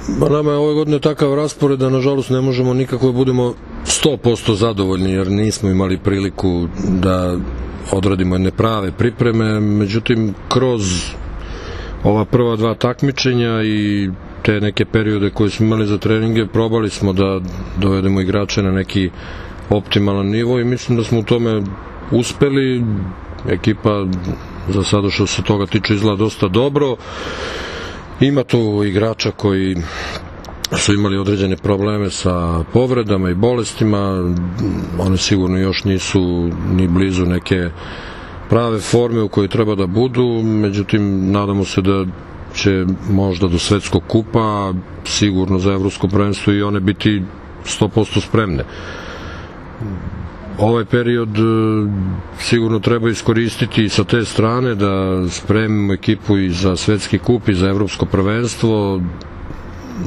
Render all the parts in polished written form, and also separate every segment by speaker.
Speaker 1: Nama je ove godine takav raspored da nažalost ne možemo nikako da budemo 100% zadovoljni, jer nismo imali priliku da odradimo jedne prave pripreme. Međutim, kroz ova prva dva takmičenja i te neke periode koje smo imali za treninge, probali smo da dovedemo igrače na neki optimalan nivo i mislim da smo u tome uspeli. Ekipa za sada što se toga tiče izgleda dosta dobro. Ima tu igrača koji su imali određene probleme sa povredama i bolestima, one sigurno još nisu ni blizu neke prave forme u kojoj treba da budu, međutim nadamo se da će možda do svetskog kupa, sigurno za evropsko prvenstvo i one biti 100% spremne. Ovaj period sigurno treba iskoristiti sa te strane da spremimo ekipu i za svetski kup i za evropsko prvenstvo.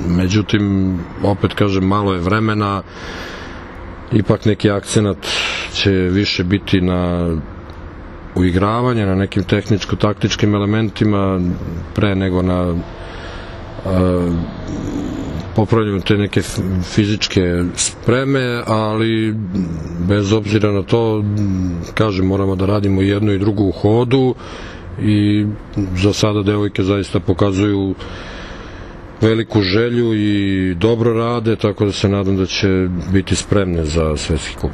Speaker 1: Međutim, opet kažem, malo je vremena, ipak neki akcenat će više biti na uigravanje, na nekim tehničko-taktičkim elementima pre nego na popravljanju te neke fizičke spreme, ali bez obzira na to, kažem, moramo da radimo jedno i drugo u hodu i za sada devojke zaista pokazuju veliku želju i dobro rade, tako da se nadam da će biti spremne za svetski kup.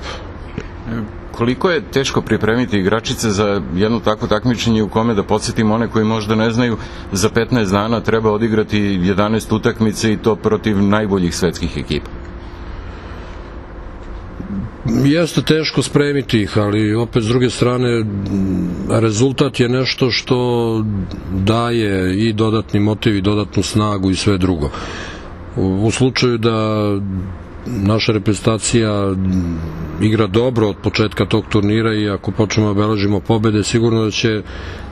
Speaker 2: Koliko je teško pripremiti igračice za jedno takvo takmičenje u kome, da podsjetimo one koji možda ne znaju, za 15 dana treba odigrati 11 utakmice i to protiv najboljih svetskih ekipa?
Speaker 1: Jeste teško spremiti ih, ali opet s druge strane rezultat je nešto što daje i dodatni motiv i dodatnu snagu i sve drugo. U slučaju da naša reprezentacija igra dobro od početka tog turnira i ako počnemo da beležimo pobede, sigurno da će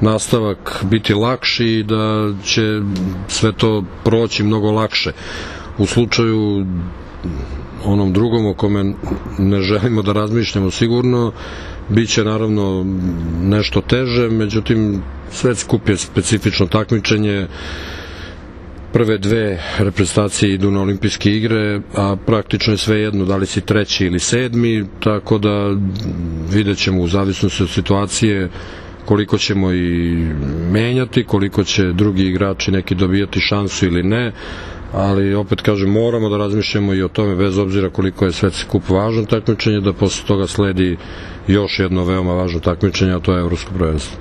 Speaker 1: nastavak biti lakši i da će sve to proći mnogo lakše. U slučaju onom drugom o kome ne želimo da razmišljamo, sigurno bit će naravno nešto teže, međutim svetski kup je specifično takmičenje. Prve dve reprezentacije idu na olimpijske igre, a praktično je sve jedno da li si treći ili sedmi, tako da vidjet ćemo u zavisnosti od situacije koliko ćemo i menjati, koliko će drugi igrači neki dobijati šansu ili ne, ali opet kažem, moramo da razmišljamo i o tome, bez obzira koliko je svetski kup važno takmičenje, da posle toga sledi još jedno veoma važno takmičenje, a to je evropsko prvenstvo.